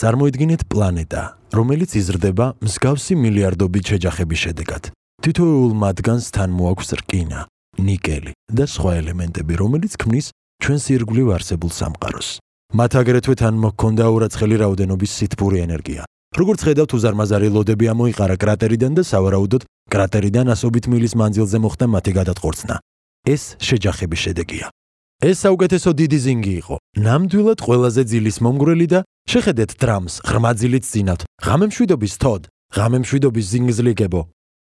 წარმოიდგინეთ პლანეტა, რომელიც იზრდება მსგავსი მილიარდობით შეჯახების შედეგად. თითოეულ მათგანს თან მოაქვს რკინა, ნიკელი და სხვა ელემენტები, რომელიც ქმნის ჩვენს ირგვლივ არსებულ სამყაროს. მათ აგრეთვე თან მოჰქონდა ურაცხელი რაოდენობის სითბური ენერგია. როგორც ხედავთ, უზარმაზარი ლოდები ამოიყარა კრატერიდან და სავარაუდოდ კრატერიდან ასობით მილის მანძილზე მოხდა მათი გადატყორცნა. ეს შეჯახების შედეგია. ეს საუკეთესო დიდი ზინგი იყო. ნამდვილად ყველაზე ძილის მომგვრელი და შეხედეთ დრამს, ღრმა ძილით ძინავთ. ღამემშვიდობის თოდ, ღამემშვიდობის ზინგზლიგებო.